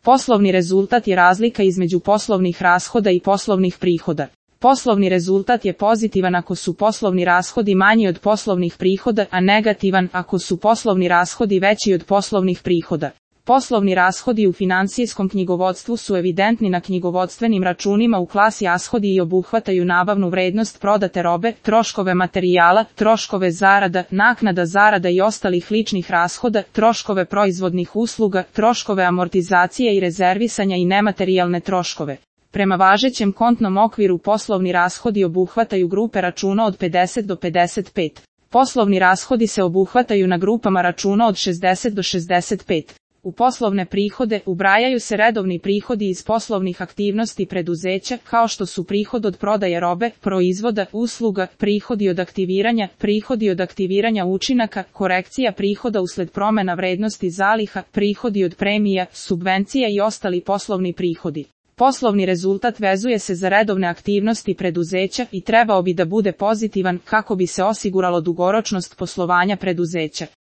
Poslovni rezultat je razlika između poslovnih rashoda i poslovnih prihoda. Poslovni rezultat je pozitivan ako su poslovni rashodi manji od poslovnih prihoda, a negativan ako su poslovni rashodi veći od poslovnih prihoda. Poslovni rashodi u financijskom knjigovodstvu su evidentni na knjigovodstvenim računima u klasi rashodi i obuhvataju nabavnu vrednost prodate robe, troškove materijala, troškove zarada, naknada zarada i ostalih ličnih rashoda, troškove proizvodnih usluga, troškove amortizacije i rezervisanja i nematerijalne troškove. Prema važećem kontnom okviru poslovni rashodi obuhvataju grupe računa od 50 do 55. Poslovni rashodi se obuhvataju na grupama računa od 60 do 65. U poslovne prihode ubrajaju se redovni prihodi iz poslovnih aktivnosti preduzeća, kao što su prihod od prodaje robe, proizvoda, usluga, prihodi od aktiviranja učinaka, korekcija prihoda usled promjena vrednosti zaliha, prihodi od premija, subvencija i ostali poslovni prihodi. Poslovni rezultat vezuje se za redovne aktivnosti preduzeća i trebao bi da bude pozitivan kako bi se osiguralo dugoročnost poslovanja preduzeća.